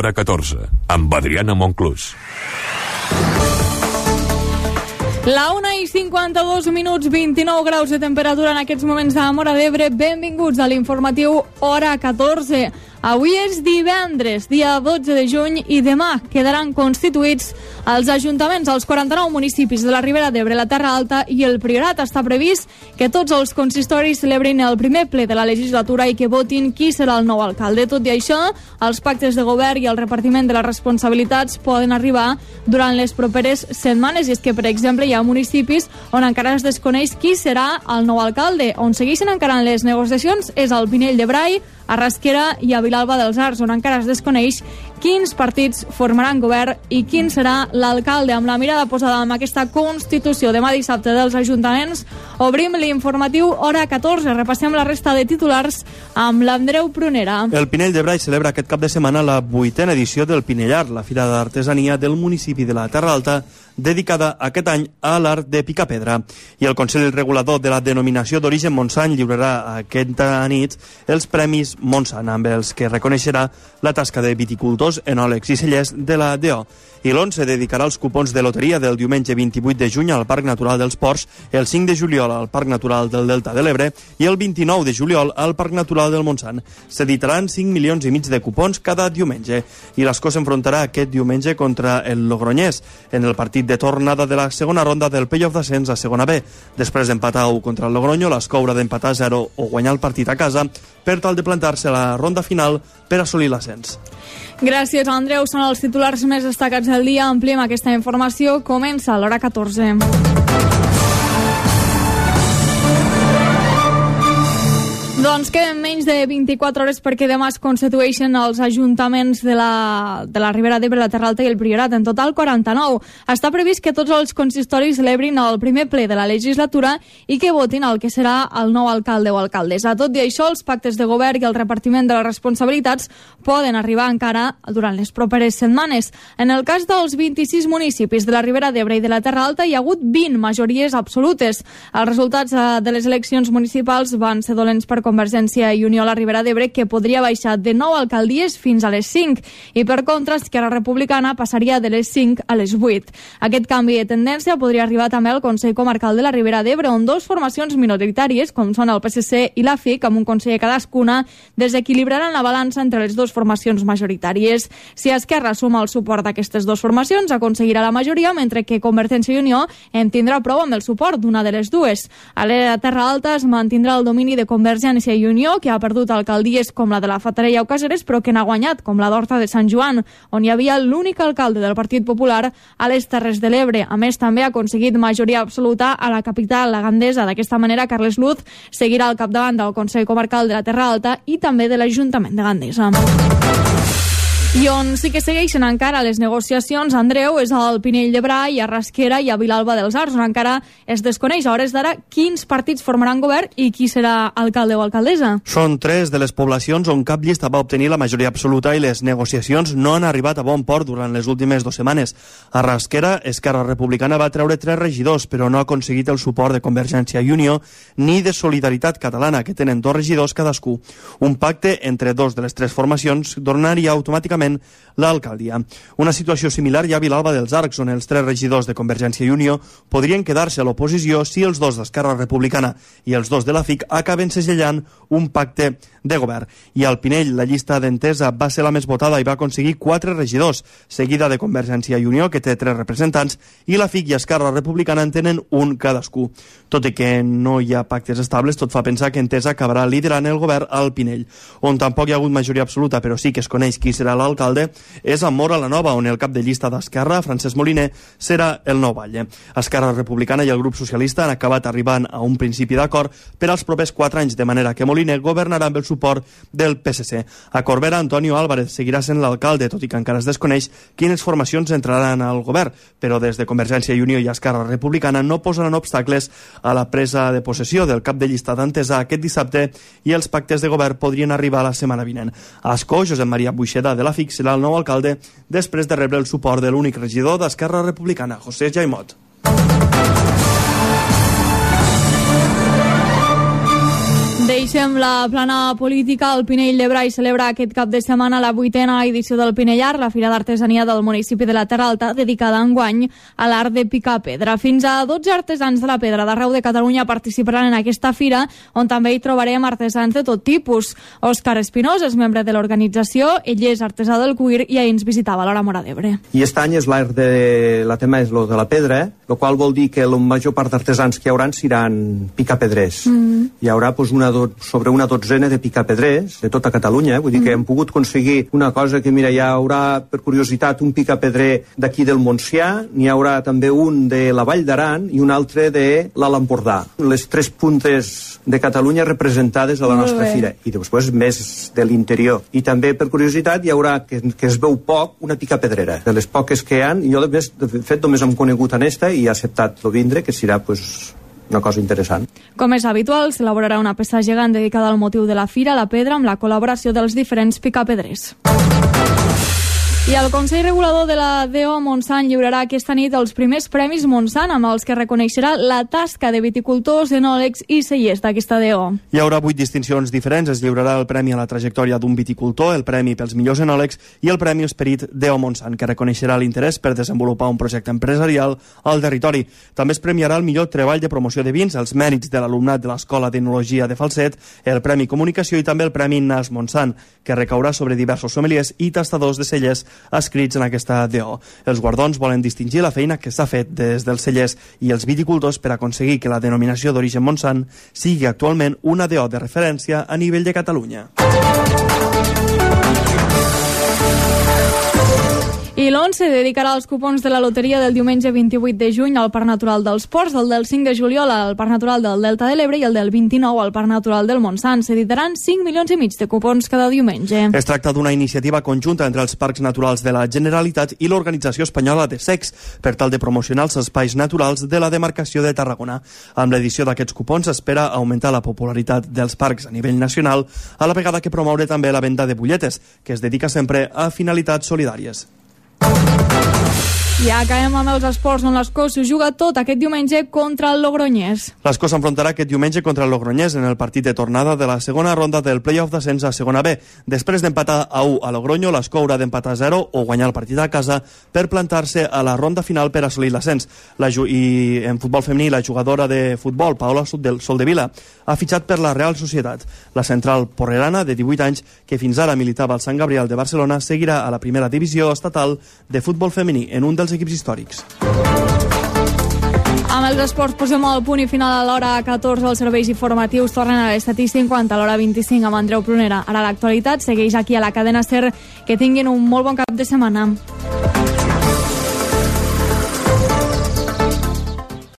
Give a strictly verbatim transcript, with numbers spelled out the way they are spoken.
Hora catorze, amb Adriana Monclús. La una i cinquanta-dos minuts, vint-i-nou graus de temperatura en aquests moments a Móra d'Ebre. Benvinguts a l'informatiu Hora catorze. Avui és divendres, dia dotze de juny, i demà quedaran constituïts els ajuntaments als quaranta-nou municipis de la Ribera d'Ebre, la Terra Alta i el Priorat. Està previst que tots els consistoris celebrin el primer ple de la legislatura i que votin qui serà el nou alcalde. Tot i això, els pactes de govern i el repartiment de les responsabilitats poden arribar durant les properes setmanes. I és que, per exemple, hi ha municipis on encara es desconeix qui serà el nou alcalde. On segueixen encara les negociacions és al Pinell de Brai, a Rasquera i a Vilalba dels Arcs, on encara es desconeix quins partits formaran govern i quin serà l'alcalde. Amb la mirada posada en aquesta Constitució demà dissabte dels ajuntaments, obrim l'informatiu Hora catorze. Repassem la resta de titulars amb l'Andreu Prunera. El Pinell de Brai celebra aquest cap de setmana la vuitena edició del Pinellar, la fira d'artesania del municipi de la Terra Alta, dedicada aquest any a l'art de picapedra. I el Consell Regulador de la Denominació d'Origen Montsant lliurarà aquesta nit els Premis Montsant, amb els que reconeixerà la tasca de viticultors, enòlegs i cellers de la D O. I l'onze dedicarà els cupons de loteria del diumenge vint-i-vuit de juny al Parc Natural dels Ports, el cinc de juliol al Parc Natural del Delta de l'Ebre i el vint-i-nou de juliol al Parc Natural del Montsant. S'editaran cinc milions i mig de cupons cada diumenge. I l'Escó s'enfrontarà aquest diumenge contra el Logroñés en el partit de tornada de la segona ronda del play-off d'ascens a segona B. Després d'empatar u contra el Logroño, l'Escó haurà d'empatar a zero o guanyar el partit a casa per tal de plantar-se a la ronda final per assolir l'ascens. Gràcies, Andreu. Són els titulars més destacats del dia. Ampliem aquesta informació. Comença a l'Hora catorze. Doncs queden menys de vint-i-quatre hores perquè demà es constitueixen els ajuntaments de la, de la Ribera d'Ebre, la Terra Alta i el Priorat. En total, quaranta-nou. Està previst que tots els consistoris celebrin el primer ple de la legislatura i que votin el que serà el nou alcalde o alcaldessa. Tot i això, els pactes de govern i el repartiment de les responsabilitats poden arribar encara durant les properes setmanes. En el cas dels vint-i-sis municipis de la Ribera d'Ebre i de la Terra Alta hi ha hagut vint majories absolutes. Els resultats de les eleccions municipals van ser dolents per Convergència i Unió a la Ribera d'Ebre, que podria baixar de nou alcaldies fins a les cinc, i per contra Esquerra Republicana passaria de les cinc a les vuit. Aquest canvi de tendència podria arribar també al Consell Comarcal de la Ribera d'Ebre, on dos formacions minoritàries, com són el P S C i la F I C, amb un conseller cadascuna, desequilibraran la balança entre les dues formacions majoritàries. Si Esquerra suma el suport d'aquestes dues formacions, aconseguirà la majoria, mentre que Convergència i Unió en tindrà prou amb el suport d'una de les dues. A la Terra Alta es mantindrà el domini de Convergència i Unió, que ha perdut alcaldies com la de la Fatarella o Caseres, però que n'ha guanyat, com la d'Horta de Sant Joan, on hi havia l'únic alcalde del Partit Popular a les Terres de l'Ebre. A més, també ha aconseguit majoria absoluta a la capital, la Gandesa. D'aquesta manera, Carles Luz seguirà al capdavant del Consell Comarcal de la Terra Alta i també de l'Ajuntament de Gandesa. I on sí que segueixen encara les negociacions, Andreu, és al Pinell de Brai, a Rasquera i a Vilalba dels Arcs, on encara es desconeix a hores d'ara quins partits formaran govern i qui serà alcalde o alcaldessa. Són tres de les poblacions on cap llista va obtenir la majoria absoluta i les negociacions no han arribat a bon port durant les últimes dues setmanes. A Rasquera, Esquerra Republicana va treure tres regidors, però no ha aconseguit el suport de Convergència i Unió ni de Solidaritat Catalana, que tenen dos regidors cadascú. Un pacte entre dos de les tres formacions donaria automàticament l'alcaldia. Una situació similar hi ha a Vilalba dels Arcs, on els tres regidors de Convergència i Unió podrien quedar-se a l'oposició si els dos d'Esquerra Republicana i els dos de la F I C acaben segellant un pacte de govern. I al Pinell, la llista d'Entesa va ser la més votada i va aconseguir quatre regidors, seguida de Convergència i Unió, que té tres representants, i la F I C i Esquerra Republicana en tenen un cadascú. Tot i que no hi ha pactes estables, tot fa pensar que Entesa acabarà liderant el govern al Pinell. On tampoc hi ha hagut majoria absoluta, però sí que es coneix qui serà l'alcalde, és a Móra la Nova, on el cap de llista d'Esquerra, Francesc Moliner, serà el nou batlle. Esquerra Republicana i el grup socialista han acabat arribant a un principi d'acord per als propers quatre anys, de manera que Moliner governarà amb el suport del P S C. A Corbera, Antonio Álvarez seguirà sent l'alcalde, tot i que encara es desconeix quines formacions entraran al govern, però des de Convergència i Unió i Esquerra Republicana no posaran obstacles a la presa de possessió del cap de llista d'Entesa aquest dissabte, i els pactes de govern podrien arribar la setmana vinent. A Ascó, Josep Maria Buixeda de la F I C serà el nou alcalde després de rebre el suport de l'únic regidor d'Esquerra Republicana, José Jaimot. Deixem la plana política. El Pinell de Brai celebra aquest cap de setmana la vuitena edició del Pinellar, la fira d'artesania del municipi de la Terra Alta, dedicada enguany a l'art de picar pedra. Fins a dotze artesans de la pedra d'arreu de Catalunya participaran en aquesta fira, on també hi trobarem artesans de tot tipus. Òscar Espinós és membre de l'organització, ell és artesà del cuir i ahir ens visitava a l'Hora Móra d'Ebre. I aquest any és l'art de... la tema és lo de la pedra, el qual vol dir que la major part d'artesans que hi haurà seran picapedrers. Mm. Hi haurà pues, una do... sobre una dotzena de picapedrers de tota Catalunya, eh? Vull dir mm. que hem pogut aconseguir una cosa que, mira, hi haurà, per curiositat, un picapedrer d'aquí del Montsià, n'hi haurà també un de la Vall d'Aran i un altre de l'Alt Empordà. Les tres puntes de Catalunya representades a la Molt nostra bé. fira. I després més de l'interior. I també, per curiositat, hi haurà, que, que es veu poc, una picapedrera. De les poques que hi ha, jo de, més, de fet només hem conegut en esta i he acceptat lo vindre, que serà pues, una cosa interessant. Com és habitual, s'elaborarà una peça gegant dedicada al motiu de la fira, la pedra, amb la col·laboració dels diferents picapedrers. I el Consell Regulador de la D O Montsant lliurarà aquesta nit els primers Premis Montsant, amb els que reconeixerà la tasca de viticultors, enòlegs i cellers d'aquesta D O. Hi haurà vuit distincions diferents. Es lliurarà el Premi a la trajectòria d'un viticultor, el Premi pels millors enòlegs i el Premi Esperit D O Montsant, que reconeixerà l'interès per desenvolupar un projecte empresarial al territori. També es premiarà el millor treball de promoció de vins, els mèrits de l'alumnat de l'Escola d'Enologia de Falset, el Premi Comunicació i també el Premi Nas Montsant, que recaurà sobre diversos sommeliers i tastadors de cellers escrits en aquesta D O. Els guardons volen distingir la feina que s'ha fet des dels cellers i els viticultors per aconseguir que la denominació d'origen Montsant sigui actualment una D O de referència a nivell de Catalunya. I l'once dedicarà els cupons de la loteria del diumenge vint-i-vuit de juny al Parc Natural dels Ports, el del cinc de juliol al Parc Natural del Delta de l'Ebre i el del vint-i-nou al Parc Natural del Montsant. S'editaran cinc milions i mig de cupons cada diumenge. Es tracta d'una iniciativa conjunta entre els Parcs Naturals de la Generalitat i l'Organització Espanyola de Secs per tal de promocionar els espais naturals de la demarcació de Tarragona. Amb l'edició d'aquests cupons s'espera augmentar la popularitat dels parcs a nivell nacional, a la vegada que promoure també la venda de butlletes, que es dedica sempre a finalitats solidàries. I acabem amb els esports, on l'Escó s'ho juga tot aquest diumenge contra el Logroñés. L'Escó s'enfrontarà aquest diumenge contra el Logroñés en el partit de tornada de la segona ronda del play-off d'ascens a segona B. Després d'empatar a u a Logroño, l'Escó haurà d'empatar a zero o guanyar el partit a casa per plantar-se a la ronda final per assolir l'ascens. La ju- I en futbol femení, la jugadora de futbol, Paola Soldevila, ha fitxat per la Real Societat. La central porrerana, de divuit anys, que fins ara militava al Sant Gabriel de Barcelona, seguirà a la primera divisió estatal de futbol femení en un dels equips històrics. Amb els esports posem el punt i final a l'hora catorze. Els serveis informatius tornen a les set i cinquanta, a l'hora vint-i-cinc amb Andreu Prunera. Ara l'actualitat segueix aquí a la cadena SER. Que tinguin un molt bon cap de setmana.